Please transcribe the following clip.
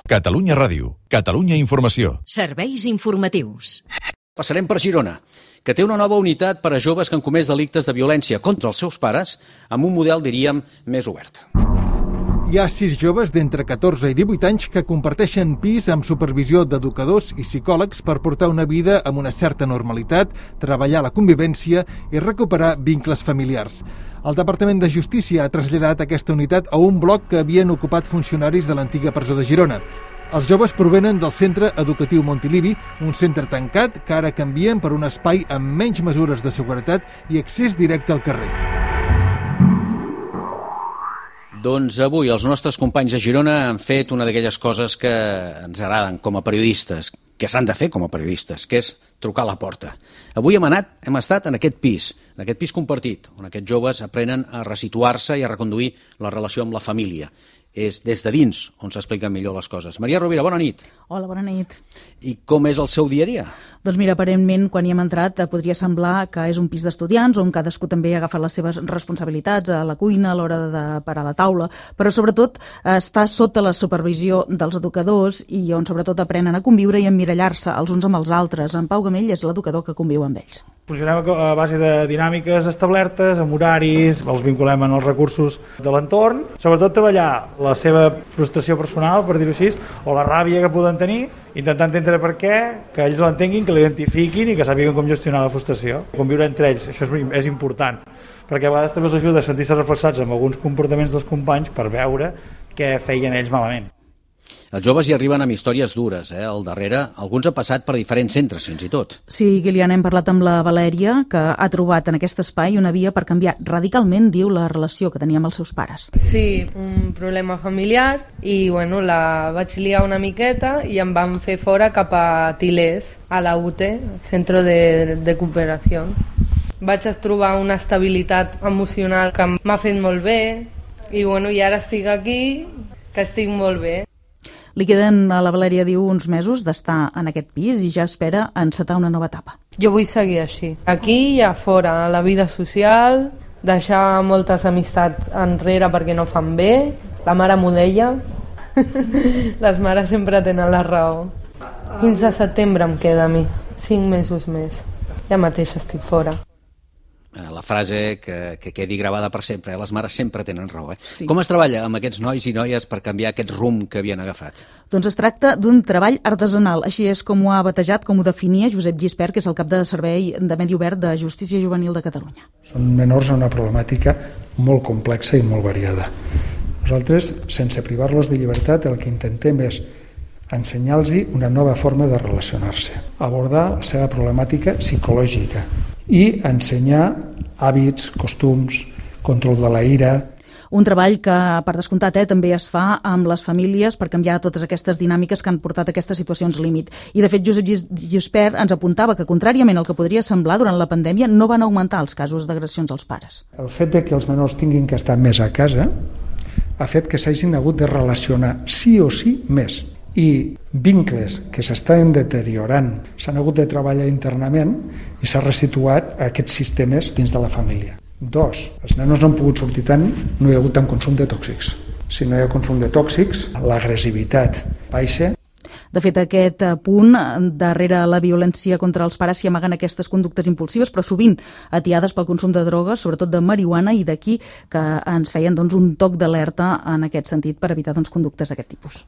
Catalunya Ràdio, Catalunya Informació. Serveis informatius. Passarem per Girona, que té una nova unitat per a joves que han comès delictes de violència contra els seus pares, amb un model, diríem, més obert. Hi ha 6 joves d'entre 14 i 18 anys que comparteixen pis amb supervisió d'educadors i psicòlegs per portar una vida amb una certa normalitat, treballar la convivència i recuperar vincles familiars. El Departament de Justícia ha traslladat aquesta unitat a un bloc que havien ocupat funcionaris de l'antiga presó de Girona. Els joves provenen del Centre Educatiu Montilivi, un centre tancat que ara canvien per un espai amb menys mesures de seguretat i accés directe al carrer. Doncs avui els nostres companys de Girona han fet una d'aquelles coses que ens agraden com a periodistes, que s'han de fer com a periodistes, que és trucar a la porta. Avui hem estat en aquest pis compartit, on aquests joves aprenen a resituar-se i a reconduir la relació amb la família. És des de dins on s'expliquen millor les coses. Maria Rovira, bona nit. Hola, bona nit. I com és el seu dia a dia? Doncs mira, aparentment, quan hi hem entrat, podria semblar que és un pis d'estudiants on cadascú també ha agafat les seves responsabilitats a la cuina, a l'hora de parar la taula, però sobretot està sota la supervisió dels educadors i on sobretot aprenen a conviure i a emmirallar-se els uns amb els altres. En Pau Gamell és l'educador que conviu amb ells. Funcionem a base de dinàmiques establertes, amb horaris, els vinculem en els recursos de l'entorn, sobretot treballar la seva frustració personal, per dir-ho així, o la ràbia que poden tenir, intentant entendre per què, que ells l'entenguin, que l'identifiquin i que sàpiguen com gestionar la frustració. Conviure entre ells, això és important, perquè a vegades també els ajuda a sentir-se reflexats amb alguns comportaments dels companys per veure què feien ells malament. Els joves hi arriben amb històries dures, Al darrere, alguns han passat per diferents centres, fins i tot. Sí, Guiliana, hem parlat amb la Valèria, que ha trobat en aquest espai una via per canviar radicalment, diu, la relació que tenia amb els seus pares. Sí, un problema familiar i, la vaig liar una miqueta i em van fer fora cap a Tilés, a la UTE, Centro de Cooperació. Vaig trobar una estabilitat emocional que m'ha fet molt bé i, i ara estic aquí, que estic molt bé. Li queden, a la Valèria diu, uns mesos d'estar en aquest pis i ja espera encetar una nova etapa. Jo vull seguir així. Aquí i a fora, a la vida social, deixar moltes amistats enrere perquè no fan bé. La mare m'ho deia. Les mares sempre tenen la raó. Fins a setembre em queda a mi. 5 mesos més. Ja mateix estic fora. La frase que quedi gravada per sempre, les mares sempre tenen raó. Sí. Com es treballa amb aquests nois i noies per canviar aquest rumb que havien agafat? Doncs es tracta d'un treball artesanal, així és com ho ha batejat, com ho definia Josep Gispert, que és el cap de servei de Medi Obert de Justícia Juvenil de Catalunya. Són menors amb una problemàtica molt complexa i molt variada. Nosaltres, sense privar-los de llibertat, el que intentem és ensenyar-los una nova forma de relacionar-se, abordar la seva problemàtica psicològica i ensenyar hàbits, costums, control de la ira. Un treball que, per descomptat, també es fa amb les famílies per canviar totes aquestes dinàmiques que han portat a aquestes situacions límit. I, de fet, Josep Gispert ens apuntava que, contràriament al que podria semblar, durant la pandèmia no van augmentar els casos d'agressions als pares. El fet de que els menors tinguin que estar més a casa ha fet que s'hagin hagut de relacionar sí o sí més. I vincles que s'estan deteriorant s'han hagut de treballar internament i s'ha resituat aquests sistemes dins de la família. 2. Els nenos no han pogut sortir tant, no hi ha hagut tant consum de tòxics. Si no hi ha consum de tòxics, l'agressivitat baixa. De fet, aquest punt, darrere la violència contra els pares s'hi amaguen aquestes conductes impulsives, però sovint atiades pel consum de drogues, sobretot de marihuana, i d'aquí que ens feien un toc d'alerta en aquest sentit per evitar conductes d'aquest tipus.